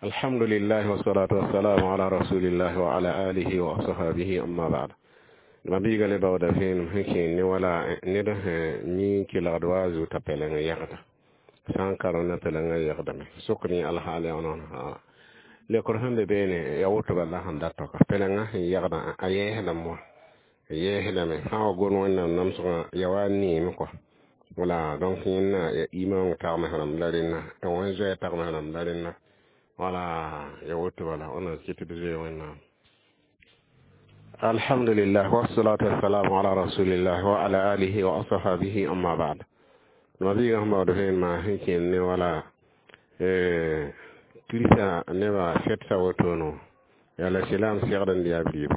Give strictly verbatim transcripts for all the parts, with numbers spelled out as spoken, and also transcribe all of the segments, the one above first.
Alhamdulillah wassalatu wassalamu ala rasulillah wa ala alihi wa ashabihi, amma ba'd. Mabiiga le baooda vẽenem sẽn kẽer ne wala ned sẽn yĩng kelgd wa a zugu t'a pɛleng n yɛgda sã n karem na pɛlengã yɛgdame sokd yẽ alhaal yaa noor lekr sẽn be beene ya woto bala sẽn dat tɔka pɛlengã sẽn yɛgdã a yɛɛsdame wã a yɛɛsdame sã n wa gom Wẽnnaam namsgã ya wa neeme kɔa wala. Donc yẽnna ya imaong tagms rãmb la rẽnna tɩ wẽn zoɛɛ tagms rãmb la rẽnna wala ya woto bala wẽnnaam kɩt tɩ d zoe Wẽnnaam. Alhamdulillah wassalatu wassalamu ala rasulillah wa ala alihi wa ashabihi, amma ba'd. Mabiiga sẽn baood vẽenemã sẽn kẽer ne wala Kirista nebã fɛtsa wotono yaa la silaam segd n yaa b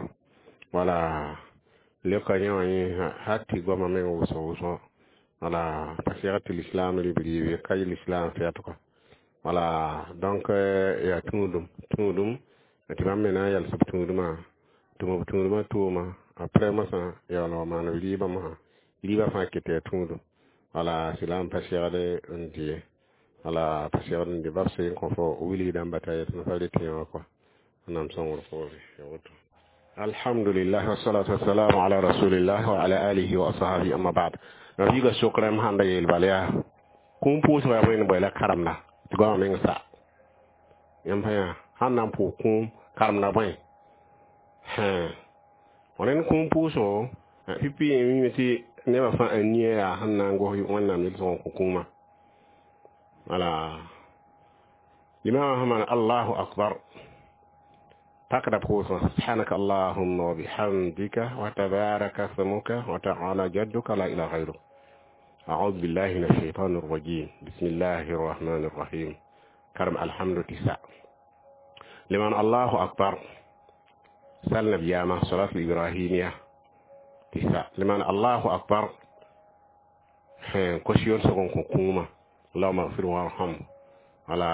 wala leoka yẽ wã yẽ hal tɩ goamã meng wʋsg wʋsgo wala pa segd tɩ lislaam rɩ b ka yɩ lislaam fɛt kɔa wala. Donc yaa tũudum tũudum tɩ bãmb me na n yals b tũudmã tɩ b tũudmã tʋʋma après mosã yaa wa maan b rɩɩbã mosã rɩɩbã fãa ket yaa tũudum wala silaam pa segd n dɩ ye wala pa segd n dɩ bab sẽn kõ fo wilg dãmba t'a yet pa rɩt yẽ wã kɔa Wẽnnaam sõngr poore ya woto. Alhamdulillah wassalatu wassalamu ala rasulillah wa ala alihi wa ashabihi, amma ba'd. Mabiiga sokrame sãn da yeel bala yaa kũum pʋʋsgã yaa bõe bõe la karemda tɩ goamã meng sa yãmb pa yã sãn na n pʋʋs kũum karemda bõe rẽnd kũum pʋʋsgo pipi yẽ mime tɩ nebã fãa a nia yaa sẽn na n gos Wẽnnaam yel-sõg n kõ kũumã wala limama sẽn maan allahu akbar pakda pʋʋsgã subhanaka allahumma wa bihamdika wa tabaraka smuka wa ta'ala jadduka la ilaha ghayruk أعوذ بالله من الشيطان الرجيم بسم الله الرحمن الرحيم كرم الحمد تسع لمن الله أكبر سألنا بياما صلاة الإبراهيمية تسع لمن الله أكبر كوشيون سكون كوكوما اللهم اغفر وارحم على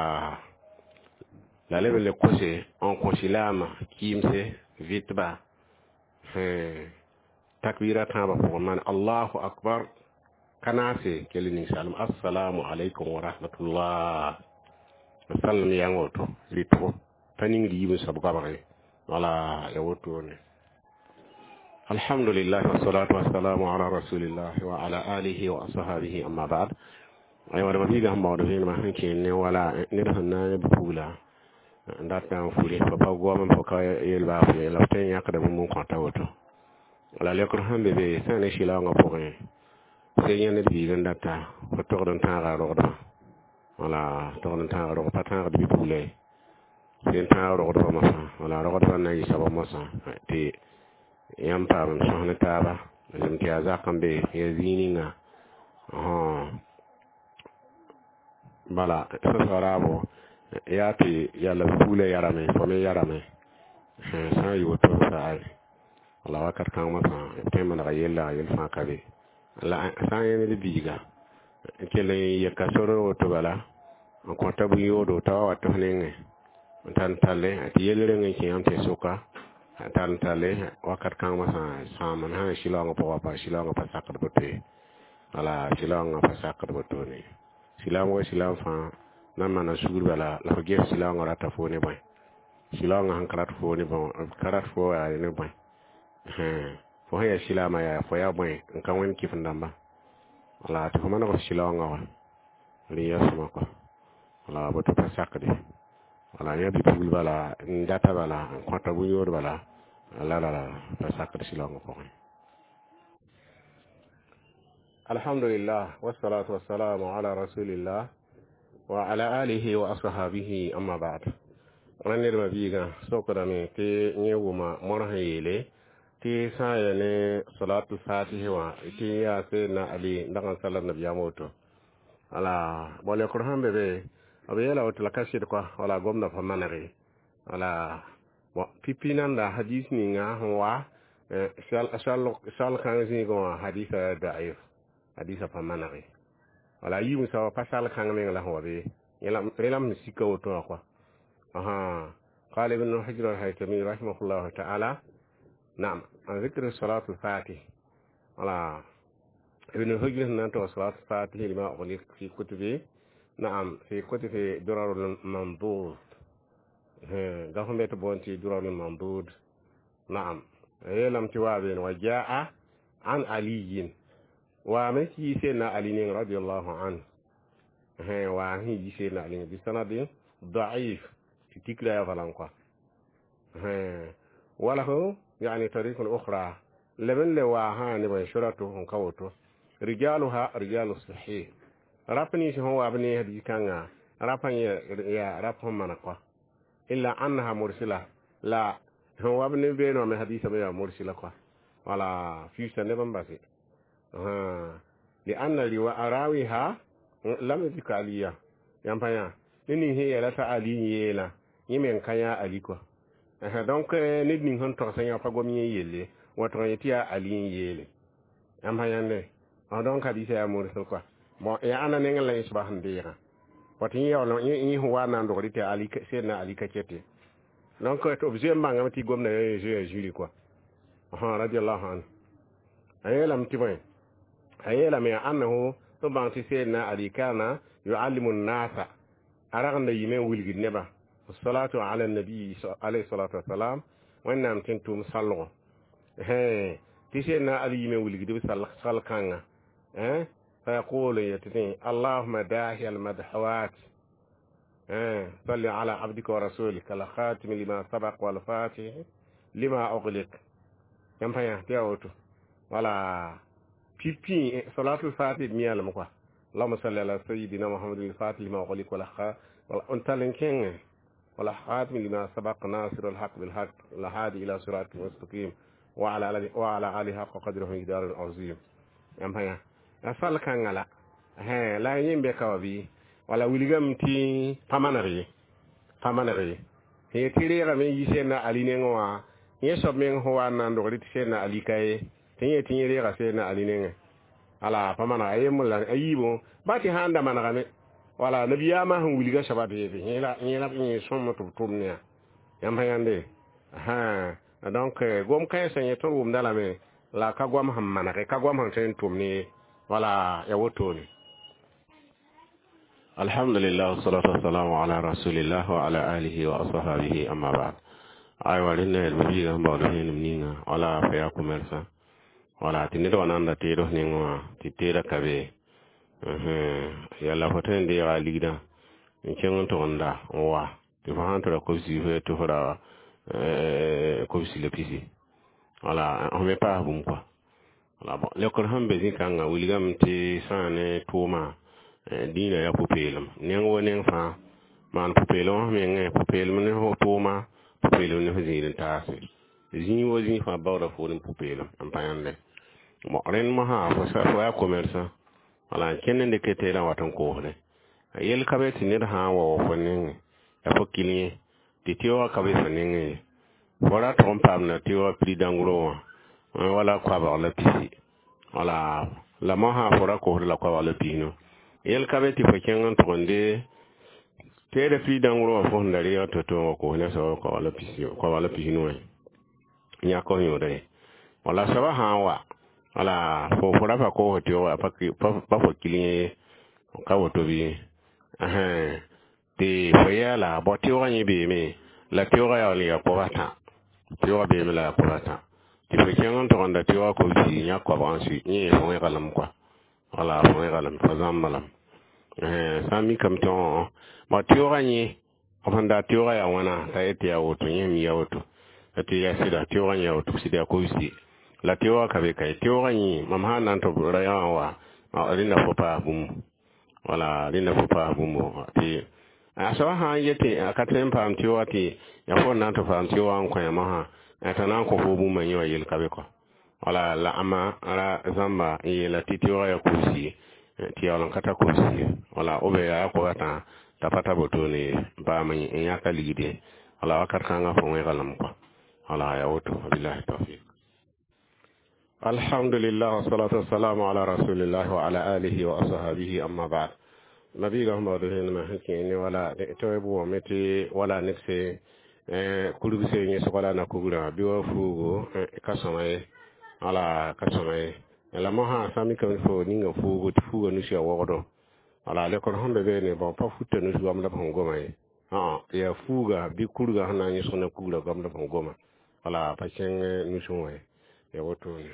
la leb n le kose n kõ silaamã kɩɩmse vɩtba takbira tãabã pʋgẽ maan allahu akbar ka naase kell ninsaalem assalamu alaikum wa rahmatullah sallam yãng woto rɩtgo pa ning yiib n soab goabge wala ya wotone. Alhamdulillah wassalatu wassalamu ala rasulillah wa ala alihi wa ashabihi, amma ba'd. Aywa d mabiiga sẽn baood vẽenemã sẽn kẽer ne wala ned sẽn na n pugla n dat n furi pa pa goam n pa ka yel baa fʋ la f tõe n yãkda bũmb n kõta woto la lekr sẽn be be sã ne sɩlaoongã pʋgẽ sẽn yẽ ned biig n data fo togd n tãaga rogdbã wala togd n tãag rog pa tãagd bi-pugla ye sẽn tãag rogdbã mosã wala rogdbã na n yɩ soaba mosã tɩ yãmb paam n sõs ne taaba zem tɩ yaa zak n be ya zĩig ninga bala sẽsga raabo yaa tɩ yalla pugla yarame fo me yarame sã n yɩ woto sa wala wakat kãng mosã b tõe n manega yella yel fãa ka be la sã n yẽ ned biiga n kell n yeka sor woto bala n kõta bũn-yoodo t'a wa wat f nengẽ n tar n talle tɩ yell reng n kẽ yãmb tɩ sʋka tar n talle wakat kãng mosã sãam n sã n sɩlaoongã pʋgã pa sɩlaoongã pa sakd boto ye wala sɩlaoongã pa sakd botone silaam wa silaam fãa na n maana sugr bala la f ges sɩlaoongã rata foo ne bõe sɩlaoongã sẽn ka rat foo ne bõ ka rat foo yaa ne bõe fo sẽn yaa silaamã yaa fo yaa bõe n ka wẽnd kɩf n dãmba wala tɩ fo maneg f sɩlaoongã wa rẽ yaa sõma kɔa wala boto pa sakde wala yã bi-pugl bala n data bala n kõta bũn-yood bala la la la pa sakd sɩlaoongã pʋgẽ. Alhamdulillah wassalatu wassalamu ala rasulillah wa ala alihi wa ashabihi, amma ba'd. Rẽnd ned mabiigã sokdame tɩ yẽ wʋma mor sẽn yeele tɩ sã n ya ne salatul fatihi wã tɩ yaa Seydna Ali n dag n sala nabiyaam woto wala bõ lekr sẽn be be b yeela woto la ka sɩd kɔa wala gomda pa manege wala bon pipi nanda hadis ninga sẽn wa sal kãng zĩigẽ wã hadisa daif hadisa pa manege wala yiib n soaba pa sal kãng meng la sẽn wa be rẽ la m sẽn sika woto wã kɔa aha. قال ابن حجر الهيتمي رحمه الله تعالى نعم عن ذكر صلاة الفاتح ولا ابن حجر نانتو صلاة الفاتح لما أغلق في كتبه نعم في كتب درر المنضود. Da sẽn be tɩ boond tɩ durarul mandud. Naam, a yeelame tɩ wa beene wa jaa an aliyin waame tɩ yi sẽnna Ali neng radiallahu anhu, wa sẽn yi sẽnna Ali bisanadin daif tɩ tikra yaa bala n kɔa. Walahu yani tarikun ukhra leb n le waa sã ne bõe suratu n ka woto rijaluha rijalu sahih rap nins sẽn wa b ne hadis kãngã rap yaa rap sẽn maneg kɔa illa annaha mursila la sẽn wa b ne beene wã me hadisã me yaa mursila kɔa wala fiusa neb n base lianna rawiha lam yudrik aliya yãmb pa yã ne ning sẽn yeela t'a Ali n yeela yẽ meng ka yã Ali kɔa. Donc ned ning sẽn togsã yã pa gom yẽ yelle wa tɩg n yetɩ yaa Ali n yeele yãmb pa yãnde. Donc hadisa yaa mursal kɔa. Bon, yaa ãnna nengẽ la yẽ soaba sẽn deegã wa tɩ yẽ yaool yẽ sẽn wa n na n dogd tɩ Ali sẽdna Ali ka kete. Donc b zoe n bãngame tɩ gomda zoeya zĩri kɔa radiallahu anhu. A yeelame tɩ bõe a yeelame annahu tɩ bãng tɩ sẽdna Ali kana yuallimu nnasa a ragenda yime n wilgd nebã salatu ala nabi alayhi salatu wasalam wẽnnaam tɩ n tʋʋm salgo tɩ sẽdna Ali yime n wilgd b sal kãnga فيقول يتني اللهم داهي المدحوات صل على عبدك ورسولك الخاتم لما سبق والفاتح لما أغلق yãmb pa yã tɩ yaa woto wala pipi salatul fatih miyalame kɔa اللهم صل على سيدنا محمد الفاتح لما أغلق ولا n tall n kẽngẽ ولا خاتم لما سبق ناصر الحق بالحق الهادي إلى صراطك المستقيم وعلى وعلى آله حق قدره مقدار العظيم yãmb pa yã a sal kãngã la la yẽ be ka wa bɩ wala wilgame tɩ pa maneg ye pa maneg ye sẽn yet tɩ reegame n yi sẽnna Ali nengẽ wã yẽ soab meng sẽn wa n na n dogd tɩ sẽnna Ali ka ye tɩ yẽ tɩ yẽ reega sẽnna Ali nengẽ ala pa manega a yembr la a yiibõ ba tɩ sã n da manegame wala nabiyaamã sẽn wilga soaba beebe yẽ la yẽ sõm tɩ b tʋm ne yãmb pa yãnde. Donc gom kãensã yẽ tõnd wʋmda lame la ka goam sẽn manege ka goam sẽn tõe n tʋm ne wala ya wotone. Alhamdulillah wassalatu wassalamu ala rasulillah wa ala alihi wa ashabihi amma ba'd. Aywa rẽnda b biiga sẽn baood vẽenem ninga wala fa yaa commerçant wala tɩ ned wa nan da teed f nengẽ wã tɩ teedã ka be yalla fo tõe n deega a ligdã n kẽng n tʋgemda n wa tɩ fo sãn tɩ ra kobsi fo tɩ fo ra kobsi la pisi wala f me paas bũmb kɔa wala. Bon, leokr sẽn be zĩ-kãngã wilgame tɩ sã ne tʋʋmã dĩinã yaa pʋ-peelem neng wa neng fãa maan pʋ-peelem f mengẽ pʋ-peelem ne f tʋʋma pʋ-peelem ne f zĩig n taase zĩig wa zĩig fãa baooda foor n pʋ-peelem n pa yãnde. Bon, rẽnd mosã fo yaa commerçant wala n kẽnd n dɩk teedã wat n koosdẽ yel ka be tɩ ned sã n wa wa fo nengẽ yaa fo kil yẽ tɩ teoogã ka be fo nengẽ ye fo ra tʋg n paamda teoogã prix dãngro wã wala koabg la pisi wala la mosã fo ra kosd la koabg la pisnu yel ka be tɩ fo kẽng n tʋg n de teedã prix dãngro wã fo sẽn da reeg to-to n wa koos ne soab koabg la pisnu wã yãk f yõoda ye wala soabã sã n wa wala fo fo ra pa koos teoogã pa fo kil yẽ ka woto bɩ tɩ fo yaa la bao teoogã yẽ beeme la teoogã yaool n yaa koab a tã teoogã beeme la yaa koab a tã tɩ fo kẽng n tʋgenda teoogã kobsi yãk koabg n sui yẽ fo wẽga lame kɔa wala fo wẽga lame fo zãmba lame sã n mikame tɩ bao teoogã yẽ f sẽn da teoogã yaa wãna t'a yet tɩ yaa woto yẽ mi yaa woto tɩ yaa sɩda teoogã yã woto sɩd yaa kobsi la teoogã ka be ka ye teoogã yẽ mam sã n na n tɩ ra yã wã wa rẽnda fo paas bũmb wala rẽnda fo paas bũmb tɩ a soaba sã n yetɩ a ka tõe n paam teoogã tɩ yaa fo n na n tɩ paam teoogã n kõ yã mosã t'a na n kõ fo bũmba yẽ wã yel ka be kɔ wala la ãmba ra zãmba n yeela tɩ teoogã yaa kobsi tɩ yaool n ka tar kobsi wala b yaa koab a tã t'a pa tar wotone ye paam n yãka ligde wala wakat kãngã fo wẽga lame kɔa wala yaa woto wabillahi tawfiq. Alhamdulillah wassalatu wassalamu ala rasulillah wa ala alihi wa ashabihi amma ba'd. Nabiga sẽn baood vẽenemã sẽn kẽ ne wala tɩ b wame tɩ wala neb se kurg se yẽsg la na kugrã bɩ wa fuugo ka sõma ye wala ka sõma ye la mosã sã n mikame fo ninga fuugo tɩ fuugã nusi a wogdo wala lekr sẽn be beene bon pa futa nus goam la b sẽn goma ye. Yaa fuuga bɩ kurga sẽn na n yõsg ne kugrã goamd f goma, wala pa kẽng nusẽ wã ye, ya wotone.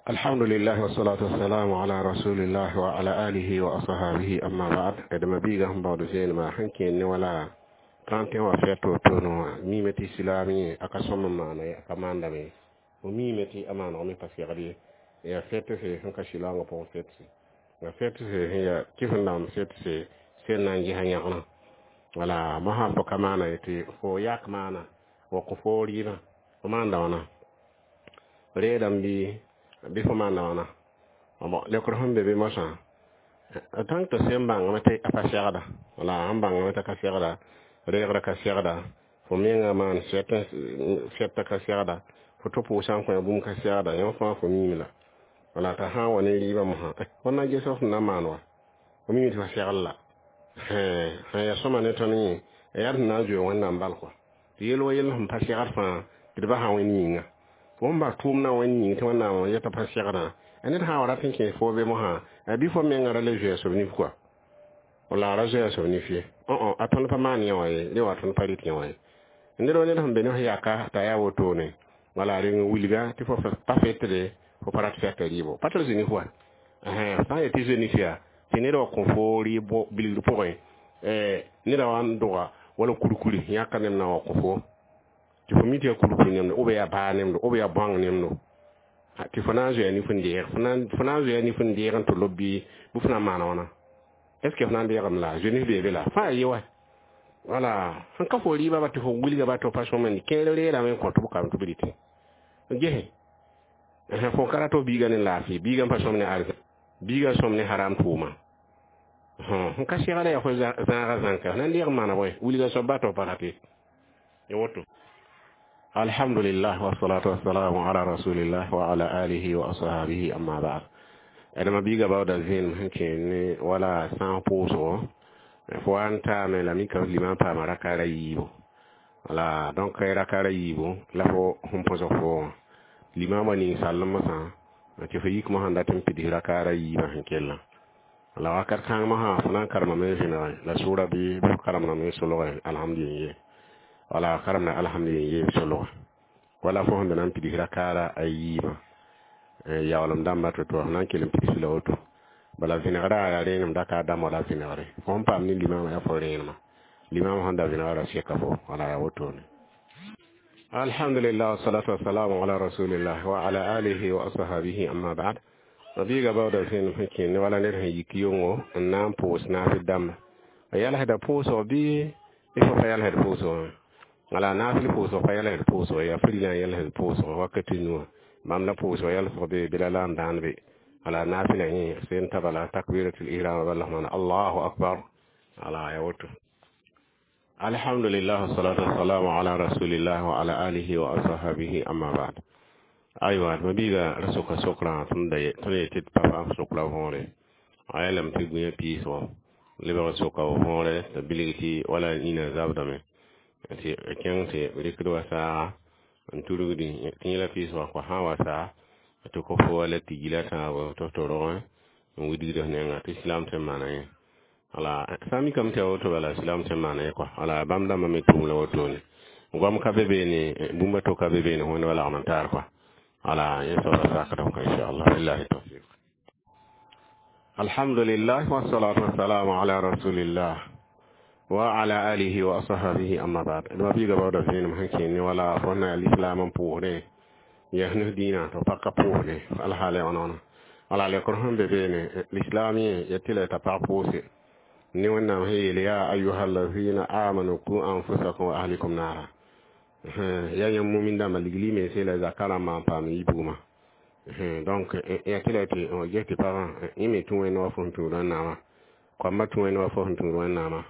Alhamdulillah, wassalatu wassalamu ala rasulillah wa ala alihi wa ashabihi, amma ba'd. Adama biiga sẽn baood zeenema sẽn kẽer ne wala trente et un wã fɛt wotone wã, miime tɩ silaam yẽ a ka sõm n maana ye, a ka maandame. Fo miime tɩ a maanegme pa segd ye. Yaa fɛtse sẽn ka silaangã pʋgẽ, fɛtse la fɛtse sẽn yaa kɩf n dãmb fɛtse sẽn na n ges yãgenã. Wala mosã fo ka maana ye tɩ fo yak maana wa kõ fo rɩɩbã, fo maanda wãna reedame bɩ bɩ fo maanda wãna. Bon, lekr sẽn be be mosã, tãng tɩ sẽn bãngame tɩ a pa segda, wala sẽn bãngame t'a ka segda, reegrã ka segda, fo mengã maan fɛtã ka segda, fo tɩ pʋʋsã n kõ bũmb ka segda, yõ fãa fo miime la. Wala t'a sã n wa ne rɩɩbã mosã, fo na ges f na maan wa, fo miime tɩ fa segl la. Sẽn yaa sõma ne tõnd yẽ, yaa sẽn na n zoe Wẽnnaam bal kɔa, tɩ yel wa yell sẽn pa segd fãa tɩ d basa Wẽnd yĩnga. Fo sẽn bas tʋʋmdã Wẽnd yĩng tɩ Wẽnnaam yeta pa segdã, ned sã n wa rat n kẽes fo be mosã, bɩ fo mengã ra le zoe a soab nif kɔa, wala a ra zoe a soab nif ye. A tõnd pa maan yẽ wã ye, rẽ wa tõnd pa rɩt yẽ wã ye. Ned wa ned sẽn be ne f yaka t'a yaa wotone, wala reng wilga tɩ fo pa fetde, fo pa rat fɛta rɩɩbo, pa tɩ zoe nif wa. Sã n yet tɩ zoe nif yaa tɩ ned wa kõ fo rɩɩb bilgr pʋgẽ, neda wa n doga wala kurkuri yãka neb na wa kõ fo tɩ fo mi tɩ yaa kurkur nemdo, b yaa baa nemdo, b yaa bõang nemdo, tɩ fo na n zoea nif n deeg, fo na n zoea nif n deeg n tɩ lob bɩ bɩ fo na n maana wãna? Est ce que fo na n deegame la zoe nif bee be la fãa ye wa? Wala sẽn ka fo rɩɩbã ba tɩ fo wilga ba tɩ pa sõmende kẽer reerame n kõ tɩ b kam tɩ b rɩtẽ gese. Fo ka rat f biigã ne laafɩ, biigã pa sõm ne arzã, biigã sõm ne haram tʋʋma sẽn ka segda, yaa fo zãaga zãnka na n deeg n maana bõe wilga soab ba tɩ f pa rate ya woto. Alhamdulillah, wassalatu wassalamu ala rasulillah wa ala alihi wa ashabihi, amma ba'd. Adama biiga baooda zẽenem sẽn kẽer ne wala sã n pʋʋsgo, fo wa n taame la mika limã paama rakaara yiibu. Wala donc rakaara yiibu la fo sẽn põsg fo limaamã ning sallem mosã tɩ fo yik mosã n dat n pids rakaara yiibã sẽn kellã. La wakat kãng mosã fo na n karemame vẽnege la sʋʋra bɩ fo karemdame solge alhamdulillah ye, wala karemda alhamdulillah ye solge, wala fo sẽn da na n pids rakaara a yiibã yaoolem dãmbã to-to, fo na n kell n pids la woto. Bala vẽnegrã yaa rẽenem daka dãmb wala vẽnegre fo sẽn paam ne limaamã yaa fo rẽenema, limaamã sẽn da vẽnegrã seka fo, wala yaa wotone. Alhamdulillah, wassalatu wassalamu ala rasulillah wa ala alihi wa ashabihi, amma ba'd. Biiga baooda zẽenem sẽn kẽer ne wala ned sẽn yik yʋngo n na n pʋʋs naafɩ dãmba, a yalsda pʋʋsg bɩ fo pa yalsd pʋʋsg wã? Wala naafɩl pʋʋsg pa yalsd pʋʋsg, yaa fri n yalsd pʋʋsg wakat nuwã bãmb la pʋʋsg yalsg be bɩ la la n dãan be. Wala naafɩla yẽ sen taba la takbiratul ihram bala maana allahu akbar, wala ya woto. Alhamdulillah, wassalatu wassalamu ala rasulillah wa ala alihi wa ashabihi, amma ba'd. Aywa, ma biiga ra soka sokraã tõnd yetɩ d pa paam sokra võore. A yeelame tɩ gũyã piisgo lebg soka võore t'a bilg tɩ wala nina zabdame tɩ kẽng tɩ rɩkd wa saaga n turgdi tɩ yẽla piisgã kɔa sã n wa saa tɩ kõ fo wala tigila tãabo tɩ f rogẽ n widgd f nenga tɩ silaam tõe n maana yẽ. Wala sã n mikame tɩ yaa woto, bala silaam tõe n maana yẽ kɔa. Wala bãmb dãmbã me tʋʋm la wotone, goam ka be beene, bũmba to ka be beene wẽnd wa lagm n taar kɔa. Wala yẽ soaba sakdem kõ, inchallah, billahi tawfiq. Alhamdulillah, wassalatu wassalamu ala rasulillah wa ala alihi wa ashabihi, amma ba'd. Dma biiga baooda vẽenem sẽn kẽer ne wala fo na lislaam n pʋʋsdẽ yaa nus dĩinã tɩ f pa ka pʋʋsdẽ alhaal ya wãna wãna. Wala lekr sẽn be beene, lislaam yẽ yetɩ la t'a pag pʋʋse ne Wẽnnaam sẽn yeel: ya ayuha allazina amanu ku anfusakum wa ahlikum nara. Yaa yãmb mumin dãmba, ligli mense la zaka rãmbã n paam yi bugmã. Donc yaa tɩ la tɩ ges tɩ pagã yẽ me tũ Wẽnd wa fo sẽn tũud Wẽnnaamã, koambã tũ Wẽnd wa fo sẽn tũud Wẽnnaamã.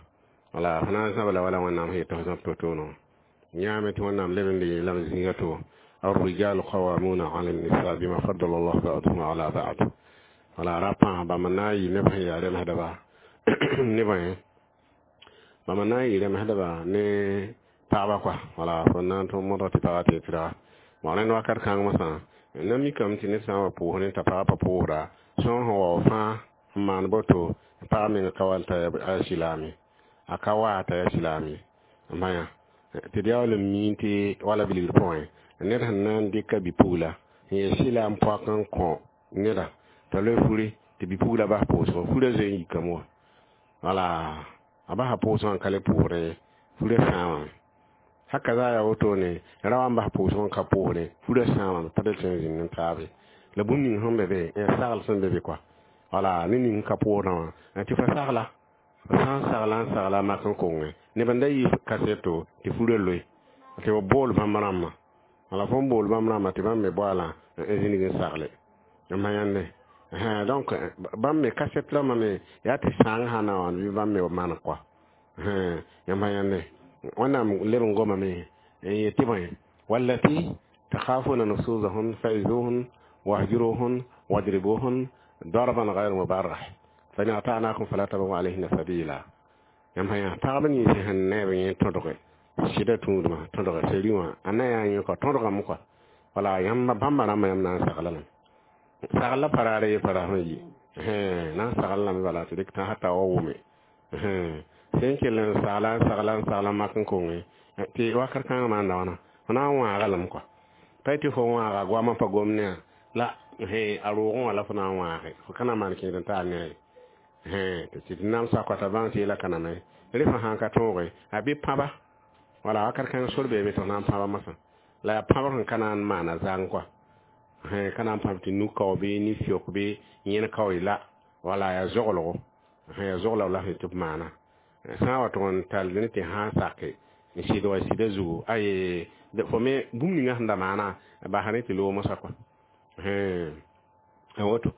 Wala fo na n zãb la wala Wẽnnaam sẽn yet tɩ fo zãb to-toonã yãame tɩ Wẽnnaam leb n le yeelame zĩiga to: الرجال قوامون على النساء بما فضل الله بعضهم على بعض. Wala ra pãas bãmb n na n yɩ neb sẽn yaa remsdba nebã yẽ, bãmb n na n yɩ remsdba ne pagba kɔa. Wala fo na n tõm modg tɩ pagã tɩ tɩrga bõ rẽnd wakat kãng mosã na mikame tɩ ned sã n wa pʋʋs ne t'a pagã pa pʋʋsda, sõor sẽn wao fãa n maan boto, pag meng ka wall t'a ya silaame. A ka wa t'a yaa silaam ye. Maya tɩ d yaool n miẽ tɩ wala bilgr pʋgẽ ned sẽn na n dɩka bi-pugla n yee silaam poak n kõ neda t'a loe furi tɩ bi-pugla bas pʋʋsgõ, furã zoe n yikame wã. Wala a basa pʋʋsgã n ka le pʋʋsdẽ ye, furã sãamame. Haka zaa yaa wotone, ra wa n bas pʋʋsgõ n ka pʋʋsdẽ, furã sãamame, pa le tõe n zĩnd n taabe. La bũmb ning sẽn be be sagl sẽn be be kɔa, wala ne ning ka pʋʋsdã wã tɩ fa sagla, f sã n sagla n sagla a mak n konge neb n da yɩ kaseto tɩ furã loe tɩ b bool bãmb rãmbã. Wala fo n bool bãmb rãmbã tɩ bãmb me boalã n zĩnig n sagle n ma yãnde. Donc bãmb me kaset rãmbã me yaa tɩ sãang sã na n wãn bɩ bãmb me maan kɔa yãmb yãnde. Wẽnnaam leb n gomame n yetɩ bõe: wallati takhafuna nusuzahun fa'izuhun wahjuruhun wadribuhun darban ghayr mubarrah fa in ata'nakum fala tabghu alayhinna sabila. Yãmb sã yaa pagb nins sẽn neeb yẽ tõdge sɩda tũudmã tõdge seri wã a na yaa yẽ kɔa tõdgame kɔa. Wala yãmb bãmba rãmbã, yãmb na n sagla lame, sagl la paraare ye para sẽn yi na n sagl lame, bala tɩ dɩk tã hata wa wʋme sẽn kell n sagla n sagla n sagla mak n konge tɩ wakat kãngã maanda wãna fo na n wãaga lame kɔa. Pa tɩ fo wãaga goamã pa gom ne la a roogẽ wã la fo na n wãage, fo ka na n maan kẽed n taal ne a ye tɩ d nam sakɔta bãng tɩ yela ka name rẽ fã sãn ka tõoge a bɩ pãba. Wala wakat kãng sor beeme tɩ f na n pãba masã la yaa pãbr sẽn ka na n maana zãng kɔa, ka na n pãb tɩ nu-kao bɩ ni-fiok bɩ yẽn kao la. Wala yaa zoglgo, yaa zogla la sẽn tɩ b maana sã n wa tʋg n tall ne tɩ sã n sake n sɩd wa sɩda zugu aye fo me bũmb ninga sẽn da maana basa ne tɩ loog mosã kɔa a woto.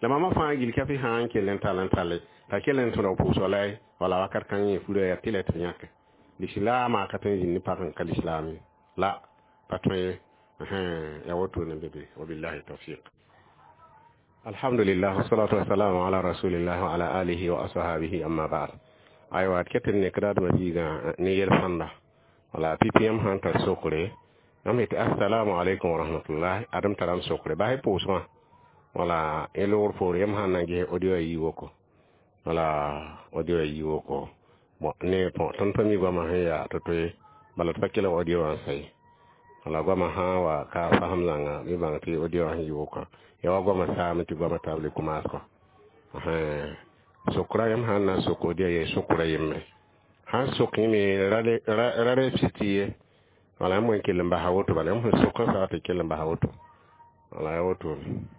La mama fãa gil ka tɩ sã n kell n tall n talle t'a kell n tõdg pʋʋsg la ye. Wala wakat kãng yẽ furã yaa tɩ la tɩ yãke lislaamã ka tõe n zĩnd ne pag n ka lislaam ye la pa tõe ye, yaa wotone be be. Wabillahi tawfiq. Alhamdulillah, wassalatu wassalamu ala rasulillah wa ala alihi wa ashabihi, amma ba'd. Aywa, d ket n nekda d mabiigã ne yel-sãnda. Wala pipi yãmb sãn tar sokre, yãmb yetɩ assalamu alaikum wa rahmatullah, adem taram sokre basɩ pʋʋsgã. Wala y loogr poore yãmb sãn na n ges audio a yi woko, wala audio a yi woko. Bon, ne tõnd pa mi goamã sẽn yaa to-to ye, bala d pa kelg audio wã n sa ye. Wala goamã sã n wa ka fasem zãnga bɩ bãng tɩ audio wã sẽn yi wokã ya wa goamã saame tɩ goamã taab le kʋmaas kɔ. Sokra yãmb sãn na n sok audio ye sokra yembre sãn sok yẽme ra rɛpsɩ ye. Wala yãmb n kell n basa woto, bala yãmb sẽn sok n sa tɩ kell n basa woto. Wala ya wotone.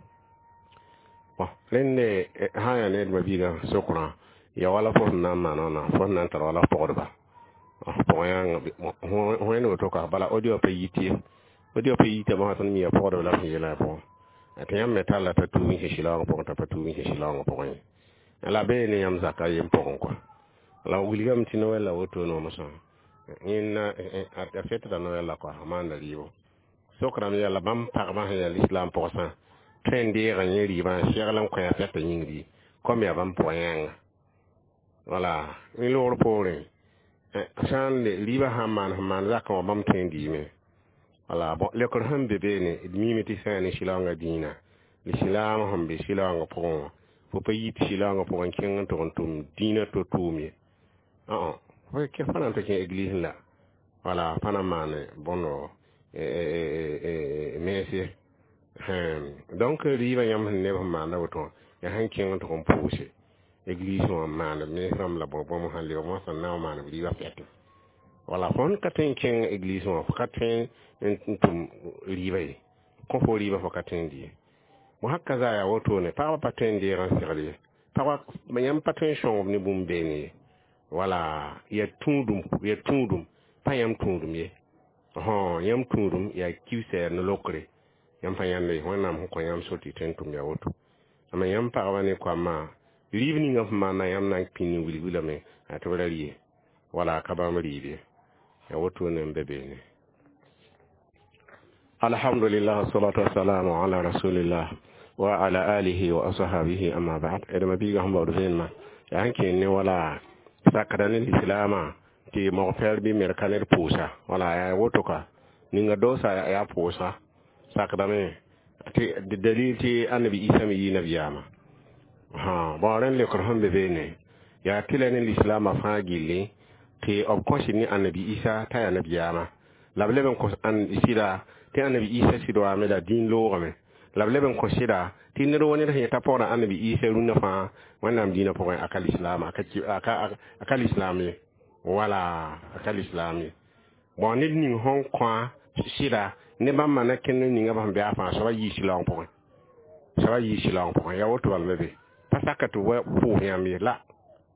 Bon, rẽnde sã n yaa ned mabiigã sokrã ya wala fo sẽn na n maan wãna, fo sẽn na n tar wala pɔgdba pʋgẽ yãnga wẽnd woto ka. Bala audio pa yit ye, audio pa yita mosã tõnd mi ya pɔgdb la sẽn yeelã pʋgẽ tɩ yãmb me talla t'a tuub n kẽ sɩlaoongã pʋgẽ, t'a pa tuub n kẽ sɩlaoongã pʋgẽ ye, la bee ne yãmb zaka yem pʋgẽ kɔa. La wilgame tɩ Noɛl la wotone wã mosã yẽnna a fetda Noɛl la kɔa a maanda rɩɩbo sokrame yaa la bãmb pagba sẽn yaa lislaam pʋgsã tõe n deega yẽ rɩɩbã n segl n kõ a fɛta yĩngri kom yaa bãmb pʋgã yãnga. Wala ne loogr poorẽ sã n rɩɩbã sã n maan sẽn maan zakã wã bãmb tõe n dɩɩme. Wala bon, leokr sẽn be beene, d miime tɩ sã n ne sɩlaoongã dĩinã, lislaam sẽn be sɩlaoongã pʋgẽ wã, fo pa yit sɩlaoongã pʋgẽ n kẽng n tʋg n tʋm dĩinã to tʋʋm ye, fo na n tɩ kẽ église la wala pa na n maane bõndo mens ye. Donc rɩɩbã yãmb sẽn neb sẽn maanda woto wã yaa sẽn kẽng n tʋg n pʋʋse église wã n maan mens rãmb la bõe bõmb sãn lebg moasã n na n maan b rɩɩbã fɛtẽ. Wala fõn ka tõe n kẽng église wã, fo ka tõe n tʋm rɩɩbã ye, kõ fo rɩɩbã fo ka tõe n dɩ ye. Bõ haka zaa yaa wotone, pagba pa tõe n deeg n segl ye, pagba yãmb pa tõe n sõngb ne bũmb beene ye. Wala yaa tũudum, yaa tũudum pa yãmb tũudum ye, yãmb tũudum yaa kiusa yaa no-lokre yãmb pa yãnde. Wẽnnaam sẽn kõ yãmb sor tɩ tõe n tʋm yaa woto. Ama yãmb pagba ne koamã rɩɩb ninga fẽn maana yãmb na n pĩnd n wilg wilame tɩ b ra rɩ ye, wala ka bãmb rɩɩb ye, yaa wotone n be beene. Alhamdulillah, wassalatu wassalamu ala rasulillah wa ala alihi wa ashabihi, amma ba'd. D mabiiga sẽn baood vẽenemã yaa sẽn kẽen ne wala sakda ne lislaamã tɩ mog-fɛɛr bɩ merka ned pʋʋsa. Wala yaa woto ka ninga doosa yaa pʋʋsa sakdame tɩ dalil tɩ annabi Isa me yɩ nabiyaamã. Bon, rẽnd leokr sẽn be beene. Yaa tɩla ne lislaamã fãa gilli tɩ b kõsd ne annabi Isa t'a yaa nabiyaamã la b leb n kos sɩda tɩ annabi Isa sɩd waame la dĩin loogame la b leb n kõ sɩda tɩ ned wo ned sẽn yeta pɔgda annabi Isa rũnnã fãa Wẽnnaam dĩinã pʋgẽ a ka lislaam a ka lislaam ye wala a ka lislaam ye. Bon, ned ning sẽn kõa sɩda ne bãmba na kẽnd ninga b sẽn bɩa fãa soaba yii sɩlaoong pʋgẽ, soaba yii sɩlaoong pʋgẽ. Yaa woto bal me be pa saka tɩ wa pʋʋs yãmb ye la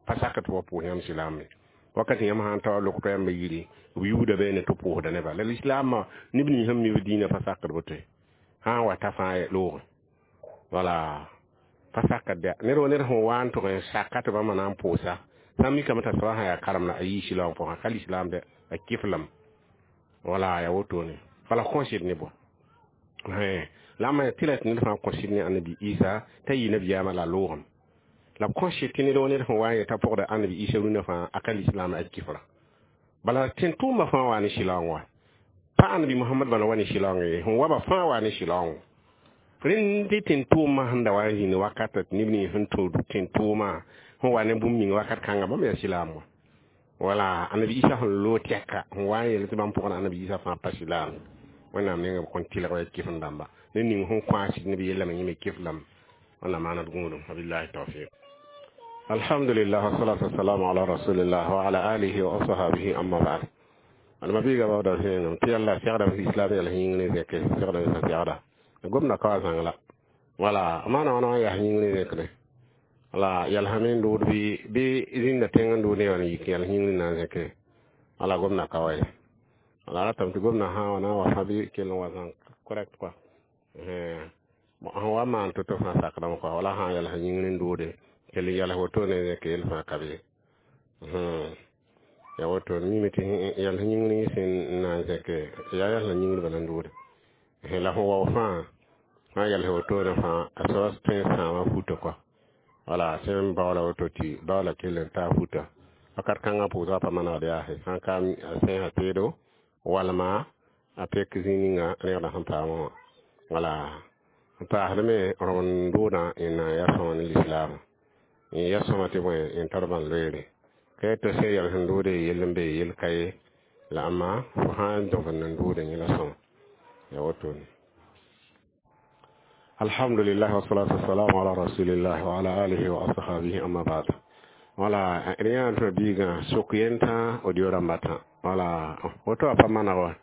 pa saka tɩ wa pʋʋs yãmb silaam ye. Wakat yãmb sãn ta wa lok yãmba yiri b yuuda beene tɩ pʋʋsda neba la lislaamã neb nins sẽn mi b dĩinã pa sakd boto ye sã n wa ta fãa loogẽ wala pa sakd ya ned wa ned sẽn wa n tʋg n saka tɩ bãmba na n pʋʋsa sã n mikame t'a soaba sã yaa karem la a yii sɩlaoong pʋgẽ ka lislaam dɛ a kɩflame wala yaa wotone bala kõsd ne bõe la a tɩ la tɩ ned fãa kõsd ne annabi Isa t'a yɩ nabiyaamã la a loogame la b kõsd tɩ ned wa ned sẽn wa n yeta pʋgda annabi Isa rũnnã fãa a ka lislaam a kɩfra bala tẽn-tʋʋmã fãa waa ne sɩlaoong wa pa annabi Mohamad bala wa ne sɩlaoong ye sẽn waba fãa waa ne sɩlaoong rẽnd tɩ tẽn-tʋʋmã sẽn da wa n zĩnd wakata tɩ neb nins sẽn tod tẽn-tʋʋmã sẽn wa ne bũmb ning wakat kãnga bãmb yaa silaam wa wala annabi Isa sẽn loog tɛka sẽn wa n yel tɩ bãmb pʋgã annabi Isa fãa pa silaam Wẽnnaam nengã b kõn tɩlg wa kɩf n dãmba ned ning sẽn kõ a sɩd neb yellame yẽ me kɩflame Wẽnnaam maana d gũudum. Wabillahi tawfiq. Alhamdulillah, wassalatu wassalamu ala rasulillah wa ala alihi wa ashabihi, amma ba'd. Alma biiga bawda sẽengame tɩ yalla segda islam yɛl yĩng ne zẽke segda sã segda gomda ka wa zãng la wala maana wãna wã yaa yĩng ne zẽkre wala yɛlsame n dood bɩ bɩ zĩnda tẽng n dood ne wã n yik yɛls yĩngr na n zẽke wala gomda ka wa ye wala ratame tɩ gomda sã wa na n wa fã bɩ kell n wa zãng correct quoi sẽn wa maan to-to fãa sakdame quoi wala sã n yɛls yĩngr n doode kell n yɛls woto ne zẽk yel fãa ka be ya woto mime tɩ yɛls yĩngr sẽn na n zẽke yaa yɛls yĩngr bala n doode la fõ wao fãa sã yɛls wotone fãa a soaba tõe n sãama futa quoi wala sẽn baoola woto tɩ baoola kell n taa futa wakat kãngã pʋʋsga pa manegd yaase sã n ka a sẽnsã teedo walma a pek zĩ ninga rẽgda sẽn paamã wã wala n paasdme rõmd doodã n na n yaa sõma ne lislaamã n yaa sõma tɩ bõe n tar bãn loeere ka tɩ sẽn yɛl sẽn doode yell n be yell ka ye la amma fo sã n dõbd n doode yẽ la sõma yaa wotone. Alhamdulillah, wassalatu wassalamu ala rasulillah wa ala alihi wa ashabihi, amma ba'd. Wala rẽ tɩ biigã sok yentã audio rãmba tã wala woto a pa maneg wa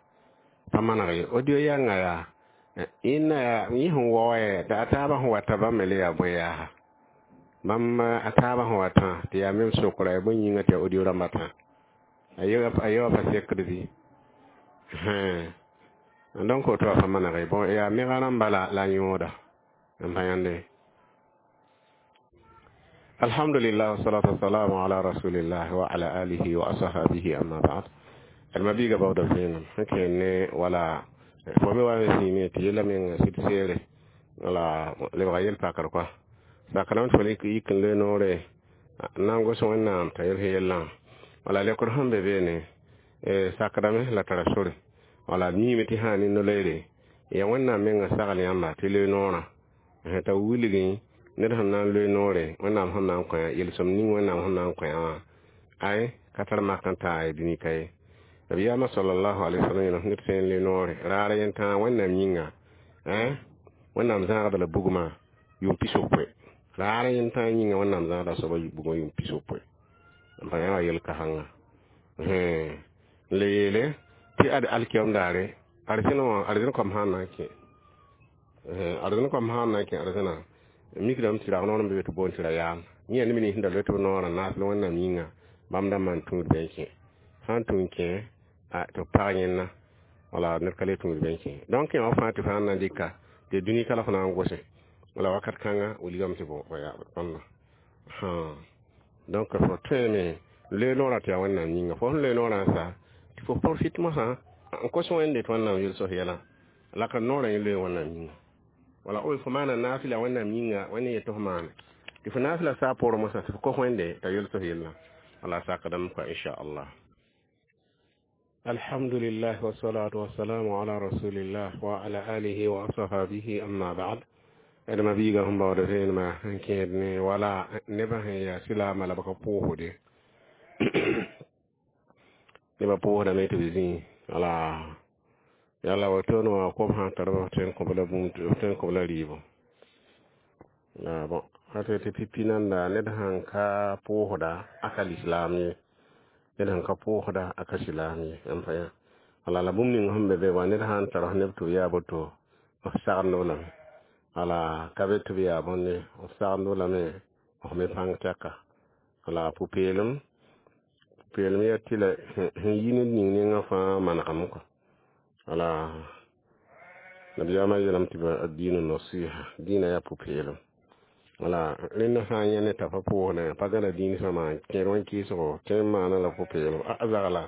pa maneg ye audio yãnga yaa ĩnna yaa yẽ sẽn wao tɩ a taabã sẽn wata bãmb me le yaa bõe yaasa bãmb a taabã sẽn watã tɩ yaa mem sokra ya bõe yĩnga tɩ yaa audio rãmba tã a ye wa pa sekd bɩ donc woto a pa maneg ye. Bon, yaa mega rãmba la la yõoda n pa yãnde. Alhamdulillah, wassalatu wassalamu ala rasulillah wa ala alihi wa ashabihi, amma ba'd. Alma biiga bawda vẽenem sẽn kẽer ne wala fo me wa n zĩime tɩ yella meng sɩd seere wala lebga yel-pakr kɔa sakdame tɩ fo yik n loe noore n na n gos Wẽnnaam t'a yels yellã wala lekr sẽn be beene sakdame la tara sore wala miime tɩ sã ne no-loeere ya Wẽnnaam menga sagl yãmba tɩ loe noorã t'a wilgẽ ned sẽn na n loe noore Wẽnnaam sẽn na n kõ yel-sõm ning Wẽnnaam sẽn na n kõ wã ay ka tar mak n taa dũni ka ye. Nabiyaamã sallallahu alaihi wasallam yeelame ned sẽn n le noore raar yẽn-tãa Wẽnnaam yĩnga Wẽnnaam zãagda la bugmã yʋʋm pis-yopoe raar yẽn-tãa yĩnga Wẽnnaam zãagda soaba bugmã yʋʋm pis-yopoe n pa yã wa yel-kãsengã n le yeele tɩ ad alkiyam daare arzẽn wã arzẽn koam sã n na n kẽ arzẽn koam sã n na n kẽ arzẽna mikdame tɩ rag noor n be tɩ boond tɩ ra yaam yẽ neb nins sẽn da loe tɩ b noorã naasl Wẽnnaam yĩnga bãmb dãmbã n tũud bɩ n kẽ sã n tũ n kẽ tɩ b pag yẽnna wala ned ka le tũud bɩ n kẽ donc yã wã fãa tɩ fãa n na n dɩka tɩ dũni ka la fo na n gose wala wakat kãnga wilgame tɩ bõ bãmba donc fo tõeme loe noorã tɩ yaa Wẽnnaam yĩnga fo sẽn loe noorã n sa tɩ fo profite mosã n kos Wẽnde tɩ Wẽnnaam yel-sos yɛlã la ka noorã yẽ loe Wẽnnaam yĩnga wala o fo maana naafɩla Wẽnnaam yĩnga Wẽnd yet tɩ fo maane tɩ fo naafɩla saa poorẽ mosã tɩ fo kos Wẽnde t'a yel-sos yellã wala sakdame kɔa inchallah. Alhamdulillah, wassalatu wassalamu ala rasulillah wa ala alihi wa ashabihi, amma ba'd. D ma-biigã sẽn baood vẽenemã sẽn kẽed ne wala nebã sẽn yaa silaamã la b ka pʋʋsde nebã pʋʋsdame tɩ b zĩ wala yala wotone wã kom sã n tar b tõe n kõ-b la bũmb b tõe n kõ-b la rɩɩbo la bon tɩ tɩ pipi nanda ned sãn ka pʋʋsda a ka lislaam ye ned sẽn ka pʋʋsda a ka silaam ye n pa yã wala la bũmb ning sẽn be be wã ned sã n tar neb tɩ b yaa boto b sagend-b lame wala ka be tɩ b yaa bõnde b sagend-b lame f me pãng tɛka wala pʋ-peelem pʋ-peelem yaa tɩ la sẽn yi ned ning nengã fãa manegame kɔ wala nabiyaamã yeelame tɩ ad-diinu nasiha dĩinã yaa pʋ-peelem wala rẽnd sã n yẽ ne t'a pa pʋʋsdã pa gãda dĩin sõma kẽer wẽn kɩɩsgo tõe n maana la pʋ-peelem a zagla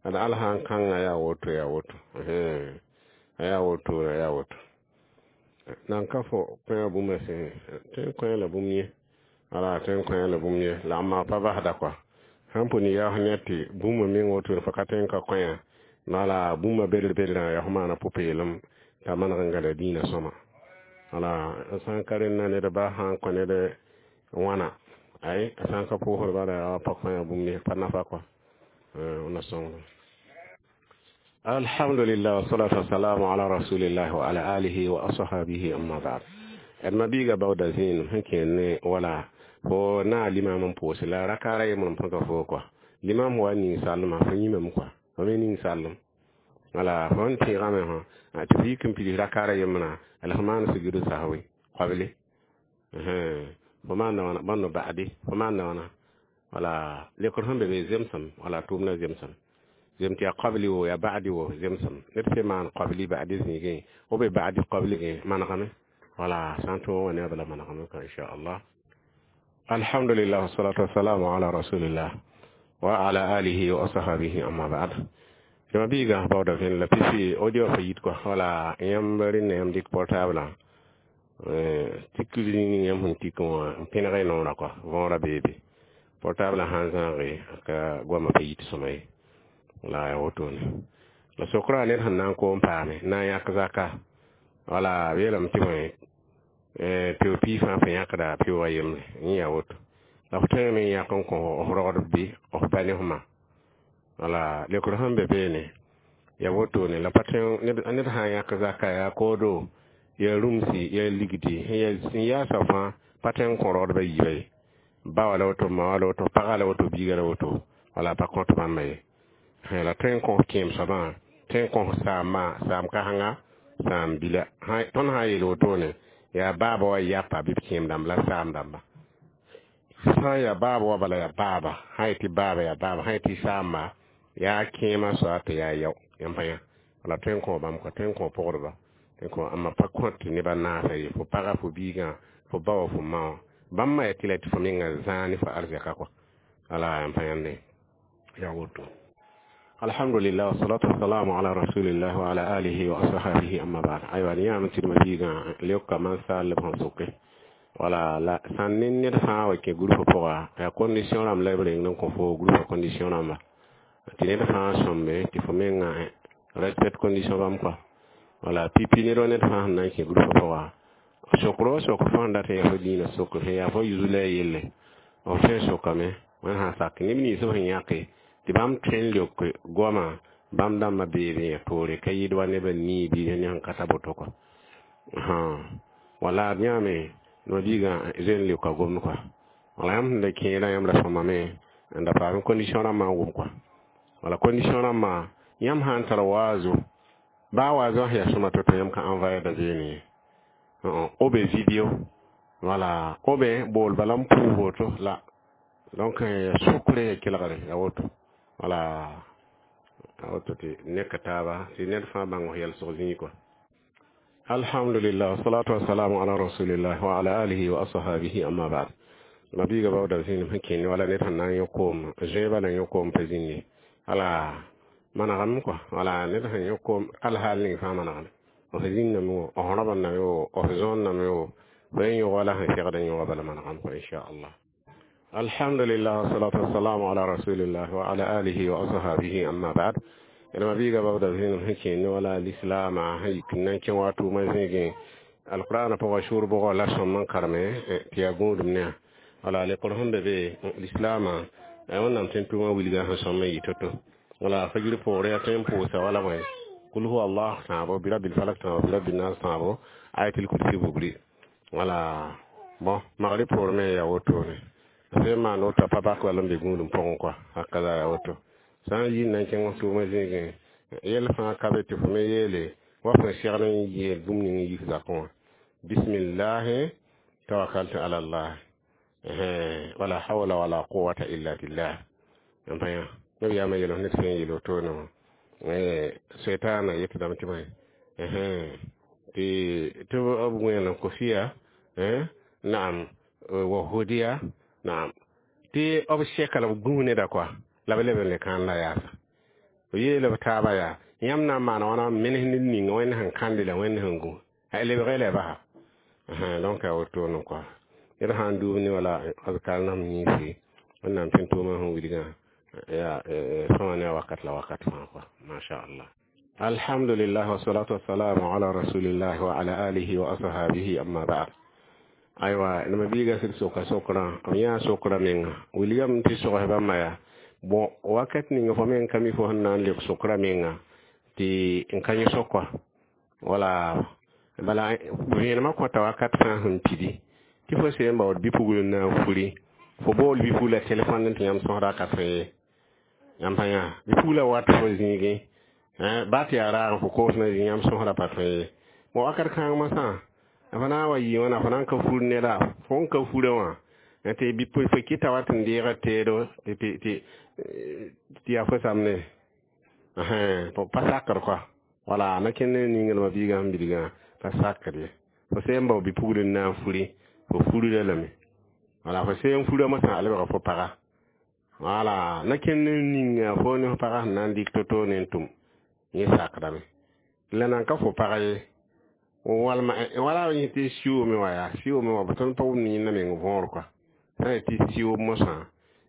ad al sã n kãngã yaa woto yaa woto a yaa woto a yaa woto nan ka fo kõ bũmba sẽn tõe n kõ la bũmb ye wala tõe n kõ la bũmb ye la amma pa basda kɔa sãn pʋ ne yaoos ned tɩ bũmba meng woto fo ka tõe n ka kõ wala bũmba bedr bedrã yaa fo maana pʋ-peelem t'a maneg n gãda dĩinã sõma wala sã n ka rẽnda ned ba sã n kõ ned wãna ay a sã n ka pʋʋsd bala yaa pa kõ bũmb ye pa nafa kɔa na sõngdo alhamdulillah wassalatu wassalamu ala rasulillah wa ala alihi wa ashabihi amma ba'd d ma-biiga baooda zẽenem sẽn kẽer ne wala fo na limam n pʋʋs la rakaara yembr n põka foo kɔa limam wa ninsaalmã fo yĩmame kɔa fo me ninsaalem wala fo n tẽegame fõ tɩ f yik n pids rakaara yembrã la fo maan sujudu sahwi qabli fo maanda wãna bõnd ba'di fo maanda wãna wala lekr sẽn be be zemsem wala tʋʋmdã zemsem zem tɩ yaa qabli wo yaa ba'di wo zemsem ned fẽ maan qabli ba'di zĩigẽ o be ba'di qabli manegame wala sã n tõog wã ne a bala manegame ka inchallah alhamdulillah wassalatu wassalamu ala rasulillah wa ala alihi wa ashabihi amma ba'd tɩ ma-biigã baooda vẽn la pipi audio fa yit kɔa wala yãmb rẽnd yãmb dɩk portable tik ning yãmb sẽn tik wã n pẽneg y noorã kɔa võorã beebe portable sã n zãage ka goamã pa yit sõma ye la yaa wotone la sokrã ned sẽn na n koom paame na n yãk zaka wala b yeelame tɩ bõe peo pii fãa fo yãkda peo a yembre yẽ yaa woto la f tõeme n yãk n kõ f rogdb bɩ f ba ne f ma wala lekr sẽn be beene yaa wotone la pa tõe ned sã n yãk zaka yaa koodo yaa rũmsi yaa ligdi sẽn yaasa fãa pa tõe n kõ rogdbã yiibã ye ba wa la woto ma wa la woto pagã la woto biigã la woto wala pa kõt bãmba ye la tõe n kõ kẽem soabã tõe n kõ saambã saam kasengã saam bila tõnd sã n yeel wotone yaa baaba wa yapa bɩ b kẽem dãmb la saam dãmba sã n yaa baaba wa bala yaa baaba sã n yetɩ baaba yaa baaba sã n yetɩ saamba yaa kẽemã soa tɩ yaa yao yãmb pa yã wala tõe n kõ bãmb kɔ tõe n kõ pʋgdba tõe n kõ amma pa kõt tɩ nebã naasa ye fo pagã fo biigã fo ba wa fo ma wã bãmb ma yaa tɩ la tɩ fo menga zãa ne fo arzɛka kɔ wala yãmb pa yãnde yaa woto alhamdulillah wassalatu wassalamu ala rasulillah wa ala alihi wa ashabihi amma ba'd aywa ni yãam tɩ ma-biigã leoka man-saal b sẽn soke wala la sãn ne ned fãa wa kẽ groupe pʋga yaa condition rãmb la b reng n kõ fo groupe condition rãmba tɩ ned fãa sõmbe tɩ fo menga respect condition bãmb kɔa wala pipi ned wa ned fãa sẽn na n kẽ groupe pʋga sokr sokr fo sẽn dat n yaa fo dĩinã sokr sẽn yaa fo yuzla yelle f tõe n sokame wẽnd sã sak neb nins b sẽn yãke tɩ bãmb tõe n leok goamã bãmb dãmbã beebe yã toore ka yɩɩd wa neb n nii bɩ ne sẽn ka ta boto kɔ wala d yãame no-biigã zoe n leoka gomd kɔa wala yãmb sẽn da kẽerã yãmb ra sõmame n da paam condition rãmbã n wʋm kɔa wala condition rãmbã yãmb sã n tar waazo baa waazo sẽn yaa sõma to-to yãmb ka envoyer da zeene ye o be video wala o be bool bala n pʋʋs woto la donc ya sukre ya kelgre ya woto wala a woto tɩ ne ka taaba tɩ ned fãa bãng f yɛlsg zĩig kɔa alhamdulillah wassalatu wassalamu ala rasulillah wa ala alihi wa ashabihi amma ba'd mabiiga baooda zĩnem sẽn kẽnd wala ned sẽn na n yõ koom zẽebã na yõ koom pa zĩnd ye wala manegame kɔa wala ned sẽn yõ koom alhaal ning fãa manegame f zĩnname wo f rãbendame wo f zõonname wo fo n yõg wala sẽn segd n yõga bala manegame kɔa inchallah alhamdulillah wassalatu wassalamu ala rasulillah wa ala alihi wa ashabihi amma ba'd d ma biiga baooda zĩnem sẽn kẽnd wala lislaamã sẽn yik n na n kẽ wa tʋʋmã zĩigẽ Alqur'ana pʋgã sʋʋr bʋgɔ la sõm n kareme tɩ yaa gũudum ne wala lekr sẽn be be lislaamã wẽnnaam tẽn tʋʋmã wilgã sẽn sõm n yɩ to-to wala fajr poore yaa tõe n pʋʋsa wala bõe kul huwa allah tãabo birabil falak tãabo birabil nas tãabo ayatul kursi bugri wala bon magrib poor me yaa wotone sẽn maan woto a pa bak bal n be gũudum pʋgẽ kɔa hakaza yaa woto sã n yi n na n kẽng f tʋʋmã zĩigẽ yɛl fãa ka be tɩ fo me yeele wa fõn segd n yeel bũmb ning n yik zakẽ wã bismillahi tawakkaltu ala allah wala hawla wala quwata illa billah n pa yã nabiyaamã yeel f ned sẽn yeel wotone wã seitaana yetdame tɩ bõe tɩ tɩ b wẽenem kofiya naam wa hudiya naam tɩ b sɛka la b gũus neda koa la b leb n le kãan la yaasa b yeela b taaba yaa yãmb na n maana wãna n menes ned ninga wẽnd sẽn kãnde la wẽnd sẽn gũ lebge la basa donc a wotone koa ned sã n duub ne wala azkar nam yĩnsi wẽnnaam tẽn tʋʋmã sẽn wilgã ya sõma ne a wakat la wakat fãa koa masha allah alhamdulillah wasalatu wassalamu ala rasulillah wa ala alihi wa ashabihi amma ba'd aywa nama biiga sɩd soka sokraã b yãa sokra menga wilgame tɩ sogs bãmba yaa bon wakat ninga fo meng ka mi fo sẽn na n leb sokra menga tɩ n ka yẽ sokwa wala bala vẽenemã kõta wakat fãa sẽn pidi tɩ fo seen baood bɩ-pugl n na n furi fo bool bɩ-pugla telefon tɩ yãmb sõsda ka tõe ye yãmb pa yã bɩ-pugla wat fo zĩigẽ ba tɩ yaa raag fo koos na zĩ yãmb sõsda pa tõe ye bon wakat kãng masã f na n wa yɩ wãna fo na n ka fur neda fo n ka furã wã tɩ bɩ fo kɩta wa tɩ n deega teedo tɩ tɩ yaa fo samne pa sakr koa wala na kẽnd ne ninglmã biigã sẽn bilgã pa sakr ye fo sẽn bao bɩ-pugl n na n furi fo furda lame wala fo sẽn furã mosã a lebga fo paga wala na kẽnd ne ninga fo ne fo paga sẽn na n dɩk to-to ne n tʋm yẽ sakdame la nan ka fo pag ye walma wala yẽ tɩ siʋʋme wa yaa siʋʋme wa tõnd pa wʋmd yẽnda meng võor koa sã n tɩ siʋʋm mosã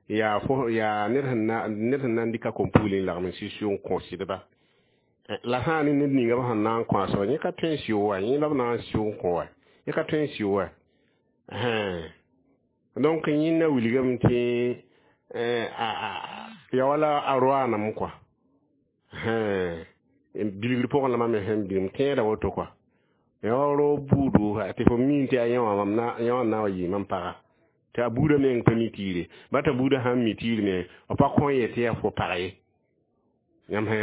yaa fo yaa ned sẽn na ned sẽn na n dɩka kom-pugl n lagm n sɩ siʋ n kõ sɩdba la sã n ne ned ninga b sẽn na n kõ a soaba yẽ ka tõe n sɩʋ wa yẽ la b na n sɩʋ n kõ wa yẽ ka tõe n sɩʋ wa donc yẽnda wilgame tɩ ya wala a roanam koa bilgr pʋgẽ la mam me sẽn bĩm tẽeda woto koa ya wa ro buudu tɩ fo mi tɩ a yẽ wã mam na yẽ wã na wa yɩ mam paga tɩ a buudã meng pa mi tiire ba t'a buudã sãn mi tiir me b pa kõ ye tɩ yaa fo pag ye yãmb sã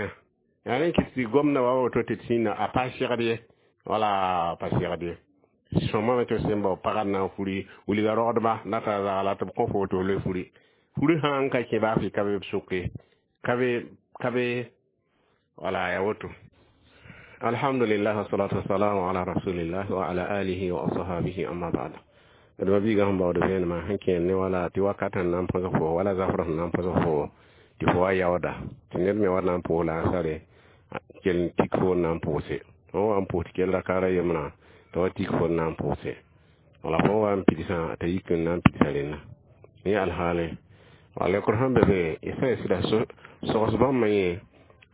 yaa rẽ kɩt tɩ gomda wa woto tɩ d sĩnda a pa segd ye wala pa segd ye sõmame tɩ sẽn bao pagã na n furi wilga rogdba la t'a zagla tɩ b kõ fo tɩ f le furi furi sã n ka kẽ baa fɩ ka be b soke ka be ka be wala ya woto alhamdulillah wassalatu wassalamu ala rasulillah wa ala alihi wa ashabihi amma ba'd d ma biigã sẽn baood vẽenemã sẽn kẽer ne wala tɩ wakat sẽn na n põsg fo wala zafr sẽn na n põsg fo tɩ fo wa yaooda tɩ ned me wa na n pʋʋs la a sare kell n tik fo n na n pʋʋse fo wa n pʋʋs tɩ kell rakaara yembrã tɩ wa tik fo n na n pʋʋse wala fo wa n pidsã t'a yik n na n pidsa rẽnna yẽ alhaale wala lekr sẽn be be y sã n sɩda sogs bãmbã yẽ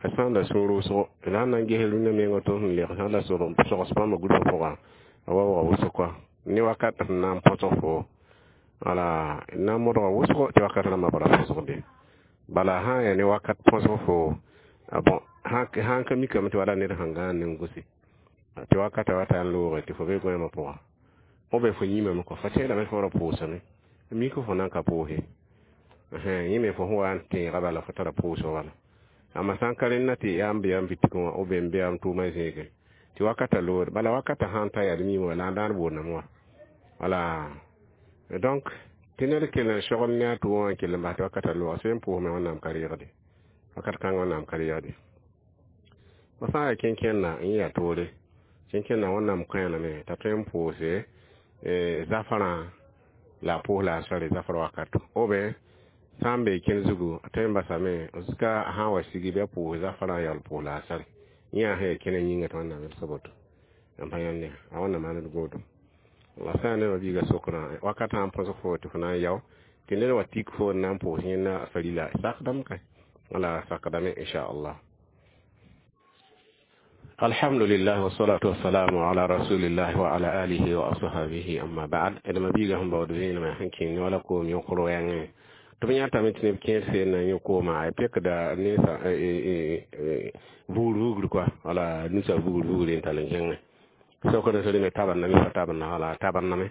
a sã n da sũ rʋʋsgo la sẽn na n ges rũndã meng tɩ sẽn leg sã n da sogs bãmba gʋlsg pʋgã a wa waoog wʋsg koa ne wakat sẽn na n põsg fo wala na n modga wʋsgo tɩ wakat rãmbã bara põsgde bala sã n yaa ne wakat põsg fo bon sã n ka mikame tɩ wala ned sẽn gãan ne n gʋse tɩ wakata wata n looge tɩ fo be goẽmã pʋga fo be fo yĩmame kɔ fo tẽedame fo ra pʋʋsame mik fo na n ka pʋʋse yẽ me fo sẽn wa n tẽega bala fo tara pʋʋsg bala amma sã n ka rẽnna tɩ yaa n be yam bitigẽ wã b n be yam tʋʋmã zẽegẽ tɩ wakata loore bala wakata sã n ta yaa d miime wa la n dãan boondame wã wala donc tɩ ned kell n sogl ne a tʋʋmã wã n kell n bas tɩ wakata loog sẽn pʋʋsme wẽnnaam ka reegde wakat kãngã wẽnnaam ka reegde fo sã n yaa kẽn-kẽnda n yaa toore kẽn-kẽnda wẽnnaam kõ lame t'a tõe n pʋʋse zafrã la a pʋʋs la a sare zafr wakato ou bien sã n bee kẽn zugu a tõe n basame zuka a sã n wa sigi bɩ a pʋʋs zafrã yaool pʋʋs la a sare yẽ sẽn yaa kẽna yĩnga tɩ wẽnnaam yels boto n pa yãnd a wẽnnaam maan d gũudum la sã n nebã biiga sokrã wakat sã n põsg fo tɩ fo na n yao tɩ ned wa tik fo n na n pʋʋs yẽnda farila sakdame ka wala sakdame inchallah. Alhamdulillah wassalatu wassalamu ala rasulillah wa ala alihi wa ashabihi amma ba'd. Edma biga hum bawd vẽenemã sẽn kẽng ne wala koom yõkr wɛɛngẽ tɩ b yãtame tɩ neb kẽer seen na yẽ kooma a pekda nensa vugr vugr kɔa wala nusa vugr vugr n tall n kẽngẽ sokd sẽd me tabendame pa tabenda wala tabendame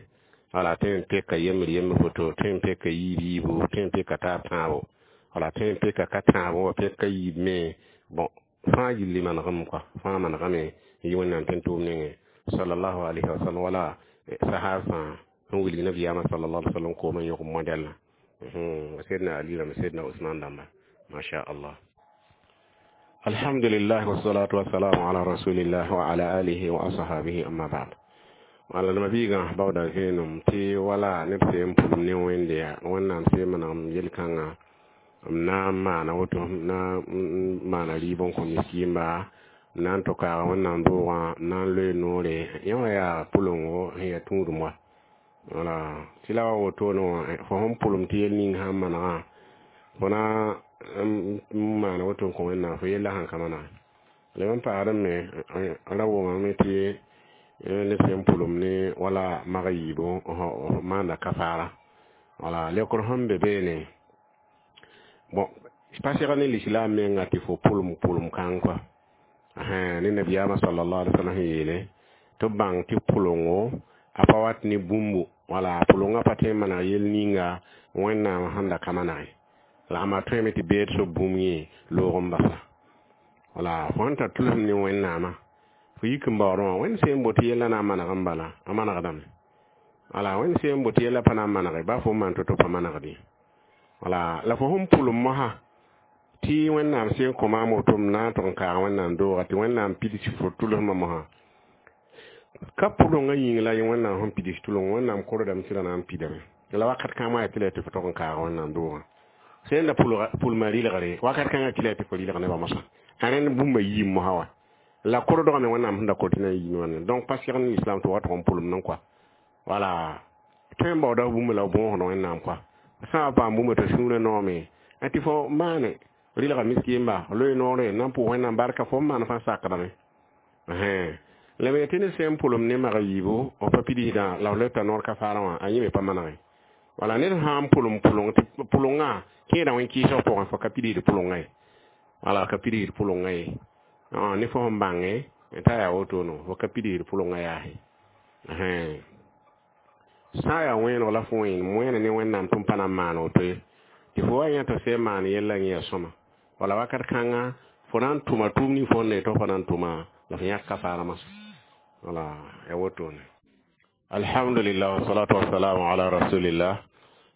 wala tõe n peka yembr yembr foto tõe n peka yiib yiibu tõe n peka taab tãabo wala tõe n peka ka tãabo wa peka yiib me bon fãa yilli manegem kɔa fãa manegame n yi wẽnnaam tẽn tʋʋm nengẽ sallallahu alayhi wa sallam wala sahab fãa sẽn wilg nabiyaamã sallallahu alaihi wa sallam koomã yõk modɛlã sidna ali rãmb sidna usman dãmba masha allah. Alhamdulillah wassalatu wassalamu ala rasulillah wa ala alihi wa ashabihi amma ba'd. Wala nima biigã baooda vẽenem tɩ wala neb sẽn pʋlem ne wẽnde yaa wẽnnaam sẽn manegem yel-kãngã m na n maana woto m na n maana rɩɩb n kõ miskiimba m na n tʋ kaaga wẽnnaam doogã m na n loe noore yẽ wã yaa pʋlengo sẽn yaa tũudem wa wala tɩ la wa wotone wã fo sẽn pʋlem tɩ yel ning sãn manegã fo na n maana woto n kõ wẽnnaam fo yella sãn ka manege la n paasd me ra wʋmame tɩ neb sẽn pʋlem ne wala mag yiibu maanda kafaara wala lekr sẽn be beene bon pa seg ne l'islam menga tɩ fo pʋlem pʋlem kãng kɔa ne nabiyaamã sallallahu alaihi wasallam sẽn yeele tɩ b bãng tɩ pʋlengo a pa wat ne bũmbu wala pʋlengã pa tõe n maneg yel ninga wẽnnaam sẽn da ka manege la ama tõeme tɩ beed soab bũmb yẽ loog n basa wala fo sẽn tar tʋlsem ne wẽnnaamã fo yik n baoodẽ wã wẽnd sẽn bote yella na n maneg n bala a manegdame wala wẽnd sẽn bote yella pa na n manege ba fo n maan to-to pa manegd ye wala la fo sẽn pʋlem mosã tɩ wẽnnaam sẽn kõ maam woto m na n tʋg n kaag wẽnnaam dooga tɩ wẽnnaam pids fo tʋlsmã mosã ka pʋlengã yĩng la wẽnnaam sẽn pids tʋleng wẽnnaam kordame tɩ ra na n pidame la wakat kãng yaa tɩ la tɩ fo tog n kaag wẽnnaam doogã sẽn da pʋlmã rɩlgre wakat kãngã tɩ la tɩ fo rɩlg nebã mosã a rẽnd bũmba yiim mosã wa la kordgame wẽnnaam sẽn da kor tɩ na n yiime wãne donc pa seg ne islam tɩ wa tʋg n pʋlem n kɔa wala tõe n baooda bũmb la b bõosd wẽnnaam kɔa sã n paam bũmba t'a sũurã noome tɩ fo maane rɩlga miskɩmba loe noore na n pʋʋs wẽnnaam barka fo n maan fãa sakdame la me tɩ ne sẽn pʋlem ne mag yiibu b pa pidsdã la f leta noor kafaarã wã a yẽ me pa manege wala ned sã n pʋlem pʋleng tɩ pʋlengã kẽeda wẽn-kɩɩsg pʋgẽ fo ka pidsd pʋlengã ye wala ka pidsd pʋlengã ye ne fo sẽn bãnge t'a yaa wotone fo ka pidsd pʋlengã yaase sã n yaa wẽenego la fo wẽen wẽene ne wẽnnaam tɩ m pa na n maan woto ye tɩ fo wa yã t'a sẽn maan yella yẽ yaa sõma wala wakat kãnga fo na n tʋma tʋʋm ning fo n ne tɩ fo na n tʋma la fo yãk kafaarã masã wala ya wotone. Alhamdulillah wassalatu wassalamu ala rasulillah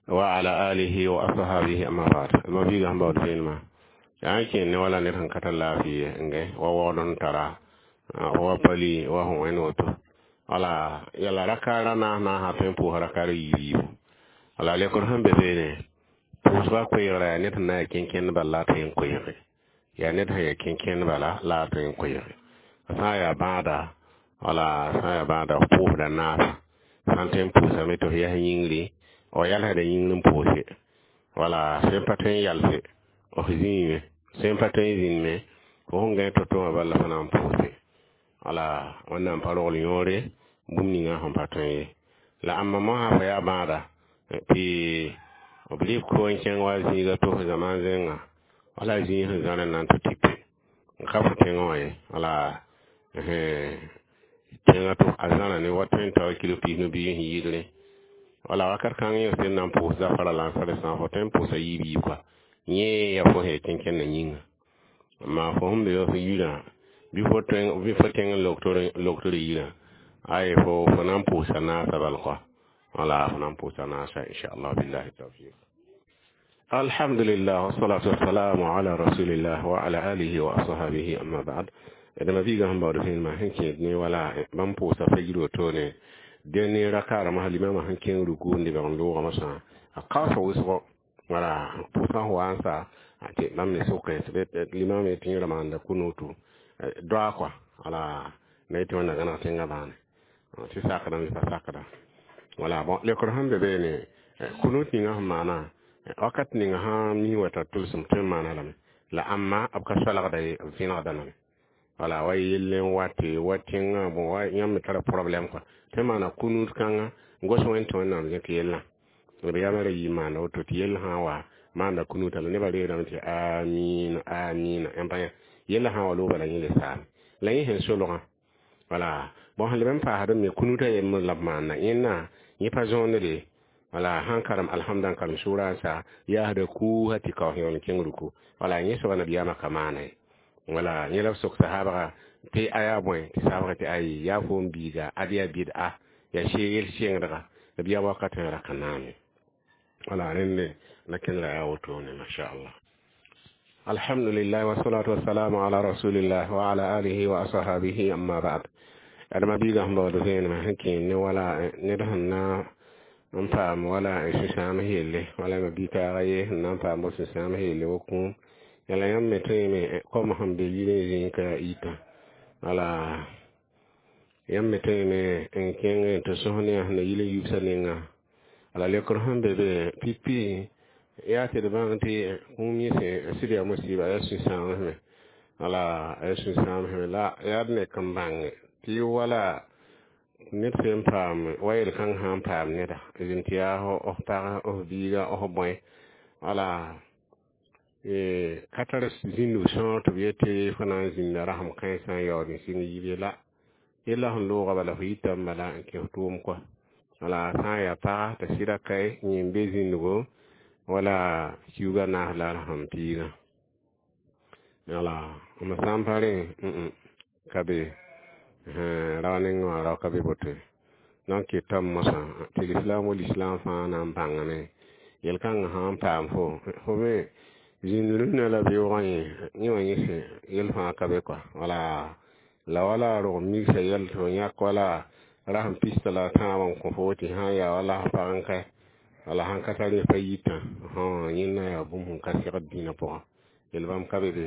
wa ala alihi wa ashabihi amma ba'd. Ma biiga sẽn baood vẽenemã yaa n kẽen ne wala ned sẽn ka tar laafɩ n wa waood n tara wa pali wa sẽn wẽnd woto wala yala rakaara naas naasã tõe n pʋʋsa rakaar yiib yiibu wala lekr sẽn be beene pʋʋsgã koeegrã yaa ned sẽn na n yaa kẽnkẽnd bala la a tõe n koeege yaa ned sẽn yaa kẽnkẽnd bala la a tõe n koeege sã n yaa bãada wala sã n yaa bãada f pʋʋsda naasa sã n tõe n pʋʋsame tɩ f yɛs yĩngri f yalsda yĩngr n pʋʋse wala sẽn pa tõe n yalse f zĩime sẽn pa tõe n zĩnme fo sẽn gãe to-to wã bala fo na n pʋʋse wala wẽnnaam pa rogl yõore bũmb ninga sẽn pa tõe ye la ãmba mosã fo yaa bãada tɩ b rɩ ko n kẽng wa zĩiga tos zamaan zẽnga wala zĩig sẽn zãr n na n tɩ tipe n ka fo tẽngã wã ye wala tẽngã tɩ a zãra ne wa tõe n tao kilo pis no bii sẽn yɩɩdrẽ wala wakat kãng yẽ sẽn na n pʋʋs zafara la n sã fo tõe n pʋʋsa yiib yiib kɔa yẽ yaa fo sẽn yaa kẽnkẽndã yĩnga amma fo sẽn be f yirã bɩ fo tõe bɩ fo tẽng loktr yirã ay fo fo na n pʋʋsa naasa bal kɔa wala fo na n pʋʋsa naasa inchallah billahi tawfiq. Alhamdulillah wassalatu wassalamu ala rasulillah wa ala alihi wa ashabihi amma ba'd. Dama biiga sẽn baood vẽenemã sẽn kẽed ne wala bãmb pʋʋsa fajr wotone dẽ ne rakaarã mosã limamã sẽn kẽng ruku n lebg n loogã mosã a kaoosa wʋsgo wala pʋʋsã sẽn wa n sa tɩ bãmb me sʋkẽ limam tɩ yẽ ra maanda kunutu doa kɔa wala na yetɩ wẽnna gãneg tẽngã bãane tɩ sakdame pa sakda wala bon lekr sẽn be beene kunut ninga sẽn maana wakat ninga sã mi wa tar tʋlsem tõe n maana lame la ãmma b ka soalgda ye b vẽnegda lame Wala wa yell n wa tɩ wa tẽngã bõ wa yãmb me tara problème kɔa tɩ maana kunud kãnga n gos wẽnd tɩ Wẽnnaam zẽk yellã b yamã ra yɩ maanda woto tɩ yell sã n wa maanda kunuta la nebã reedame tɩ amiina amiina n pa yellã sã n wa loog bala yẽ le saame la yẽ sẽn solgã wala bõn sẽn leb n paasd me kunuta yembr la b maanda yẽnna yẽ pa zõonde wala sãn karem alhamda n karem sʋʋra n sa yaasda kuusa tɩ kaoos yaool n kẽng ruku wala yẽ soaba nabiyaamã ka maana ye wala yẽ la b sok sahabga tɩ a yaa bõe tɩ sahabga tɩ ayi yaa foom biiga ad yaa bɩd-a yaa yel sɩngdga nabiyaam wakatẽ ra ka naame wala rẽnde la kẽndra yaa wotone mashallah. Alhamdulillah wasalatu wassalamu ala rasulillah wa ala alihi wa ashabihi, amma ba'd. Adama biiga sẽn baood vẽenemã sẽn kẽen ne wala ned sẽn na n paam wala sũ-sãam yelle wala ma bi-taaga ye sẽn na n paam bo sũ-sãam yelle wo kũum yala yãmb me tõeme kom sẽn be yirẽ zĩig ka yitã wala yãmb me tõeme n kẽng tɩ sõs ne sẽn na yil n yubsã nenga ala lekr sẽn be be pipi yaa tɩ d bãng tɩ kũum yẽ sɩd yaa musiba yaa sũ-sãamsme wala yaa sũ-sãamsme la yaa d nek n bãnge tɩ wala ned sẽn paam wa yel-kãng sã n paam neda zĩnd tɩ yaa f pag f biiga f bõe wala ka tar zĩndg sõor tɩ b yetɩ fo na n zĩnda rasem kãensã n yaood n sɩng yib ye la yella sẽn looga bala fo yitame bala n kẽ f tʋʋm kɔa wala sã n yaa paga tɩ sɩda kae yẽ n be zĩndgo wala kiuga naas la rasem piigã wala m sã n pa rẽ ka be rao nengẽ wã rao ka be boto donc ketame mosã tɩ lislam wa lislam fãa na n bãngame yel-kãngã sã n paam fo fo me zĩnd rũnnã la beoogã yẽ yẽ wã yẽ yel fãa ka be kɔa wala la wala rog migsa yɛl tɩ f yãk wala rasem pista la tãabã n kõ fo tɩ sã n yaa wala f pag n kae wala sãn ka tar yẽ pa yitã yẽnna yaa bũmb sẽn ka segd dĩinã pʋgã yel bãmb ka be be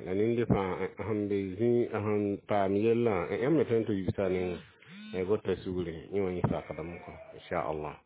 la nende fãa sẽn be zĩ sẽn paam yellã yãmb me tõe n tɩ yubsa nengã gota sugre yẽ wã yẽ sakdame kɔ inchallah.